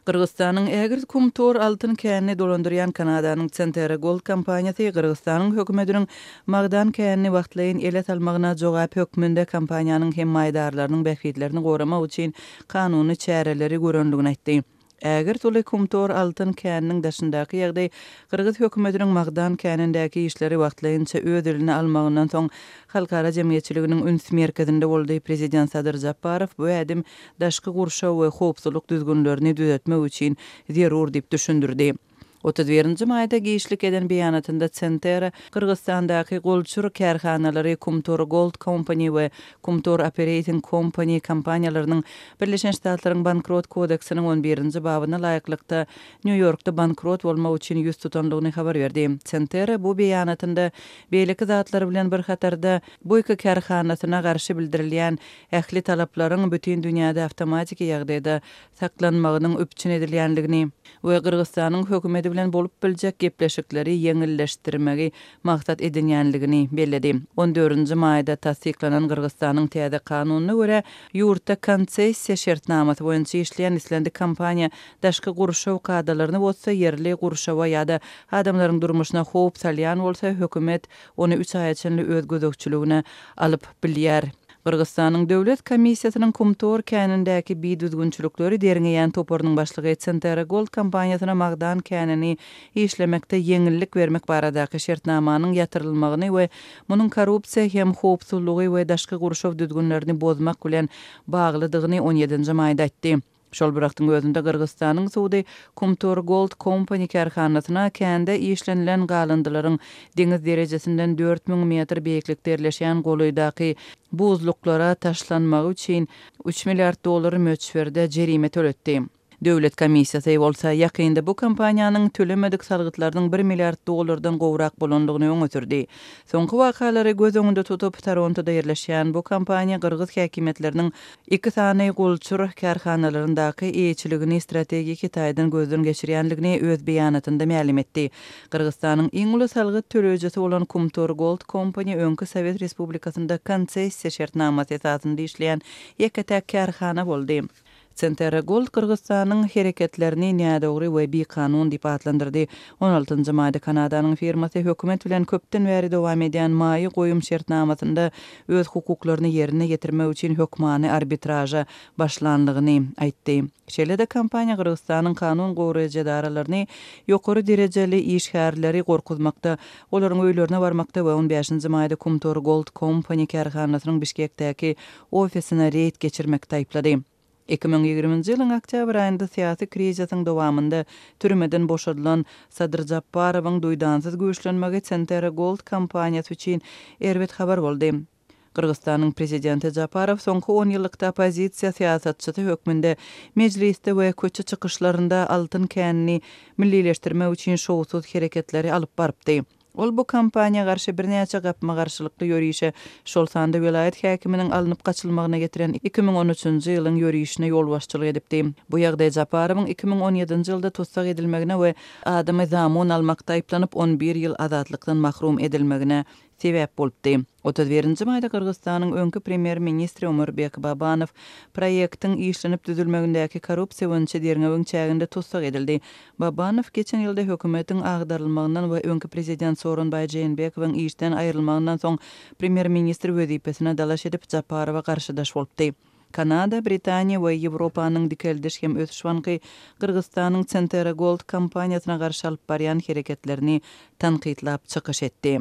Gyrgyzystanyň ägirt Kumtor altyn känini dolandyrýan Kanadanyň Centerra Gold kompaniýasy Gyrgyzystanyň hökümetiniň magdan känini wagtlaýyn ele salmagyna jogap hökmünde kompaniýanyň hem maýdarlarynyň bähbitlerini goramak üçin kanuny çäreleri görendigini aýtdy. Ägirt uly Kumtor altyn käniniň daşyndaky ýagdaý gyrgyz hökümetiniň magdan känindäki işleri wagtlaýynça öz eline almagyndan soň halkara jemgyýetçiliginiň üns merkezinde boldy. Prezident Sadyr Japarow bu ädim daşky gurşaw we howpsuzlyk düzgünlerini düzetmek üçin zerur diýip düşündirdi. 31-nji maýda giçlik eden beýanatynda Centerra Gyrgyzystandaky golçur kärhanalary Kumtor Gold Company we Kumtor Operating Company kompaniýalarynyň Birleşen Ştatlaryň Bankrot kodeksiniň on birinji babyna laýyklykda Nýu-Ýorkda bankrot bolmak üçin ýüz tutandygyny habar berdi. Centerra bu beýanatynda beýleki zatlar bilen bir hatarda bu iki kärhanasyna garşy bildirilýän ähli talaplaryň bütin dünýäde awtomatiki ýagdaýda saklanmagynyň üpjün edilýändigini we Gyrgyzystanyň hökümeti bilen bolup biljek gepleşikleri ýeňilleşdirmegi maksat edinýändigini belledi. On dördünji maýda tassyklanan Gyrgyzystanyň täze kanunyna görä, ýurtda konsessiýa şertnamasy boýunça işleýän islendik kompaniýa daşky gurşaw kadalaryny bozsa, ýerli gurşawa ýa-da adamlaryň durmuşyna howp salýan bolsa, hökümet ony üç aýa çenli öz gözegçiligine alyp bilýär. Gyrgyzystanyň Döwlet komissiýasynyň Kumtor känindäki bidüzgünçilikleri derňeýän toparynyň başlygy Centerra Gold kompaniýasyna magdan känini işlemekde ýeňillik bermek baradaky şertnamanyň ýatyrylmagyny we munuň korrupsiýa hem howpsuzlygy we daşky gurşaw düzgünlerini bozmak bilen baglydygyny on ýedinji maýda aýtdy. Şol bir wagtyň özünde Gyrgyzystanyň sudy Kumtor Gold Company kärhanasyna kände işlenilen galyndylaryň deňiz derejesinden 4000 metr beýiklikde ýerleşýän golaýdaky buzluklara taşlanmagy üçin üç milliard dollar möçberde jerime töletdi. Döwlet komissiýasy bolsa ýakynda bu kompaniýanyň tölemedik salgytlarynyň bir milliard dollardan gowrak bolandygyny öňe sürdi. Soňky wakalary göz öňünde tutup, Torontoda ýerleşýän bu kompaniýa gyrgyz häkimiýetleriniň Iki sany golçur kärhanalaryndaky eýeçiligini strategiki taýdan gözden geçirýändigini öz beýanatynda mälim etdi. Gyrgyzystanyň iň uly salgyt töleýjisi bolan Kumtor Gold Company öňki Sowet Respublikasynda konsessiýa şertnamasy esasynda işleýän ýeke-täk kärhana boldy. Centerra Gold Gyrgyzystanyň hereketlerini nädogry we bikanun diýip atlandyrdy. On altynjy maýda Kanadanyň firmasy hökümet bilen köpden bäri dowam edýän maýa goýum şertnamasynda öz hukuklaryny ýerine ýetirmek üçin hökmany arbitraža başlanlygyny aýtdy. Şeýle-de kompaniýa Gyrgyzystanyň kanun goraýjy edaralaryny ýokary derejeli işgärleri gorkuzmakda, olaryň öýlerine barmakda we on bäşinji maýda Kumtor Gold Company kärhanasynyň Bişkekdäki ofisine reýd geçirmekde aýyplady. 2020-nji ýylyň oktýabr aýynda syýasy krizisiň dowamynda türmeden boşadylan Sadyr Japarowyň duýdansyz güýçlenmegi Centerra Gold kompaniýasy üçin erbet habar boldy. Gyrgyzystanyň prezidenti Japarow soňky onýyllykda oppozisiýa syýasatçysy hökmünde mejlisde we köçe çykyşlarynda altyn känini millileşdirmek üçin şowsuz hereketleri alyp barypdy. Ol bu kampaniýa garşy birnäçe gapma-garşylykly ýörişe, şol sanda welaýat häkiminiň alnyp gaçylmagyna getiren 2013-nji ýylyň ýörişine ýolbaşçylyk edipdi. Bu ýagdaý Japarowyň 2017-nji ýylda tussag edilmegine we adamy zamun almakda aýyplanyp, on bir ýyl azatlykdan mahrum edilmegine sebäp bolupdy. 31-nji maýda Gyrgyzystanyň öňki premýer-ministri Omurbek Babanow proýektiň işlenip düzülmegindäki korrupsiýa boýunça derňewiň çäginde tussag edildi. Babanow geçen ýylda hökümetiň agdarylmagyndan we öňki prezident Sooronbaý Jeenbekowyň işden aýrylmagyndan soň premýer-ministr wezipesine dalaş edip, Japarowa garşydaş bolupdy. Kanada, Britaniýa we Ýewropanyň Dikeldiş hem ösüş banky Gyrgyzystanyň Centerra Gold kompaniýasyna garşy alyp barýan hereketlerini tankytlap çykyş etdi.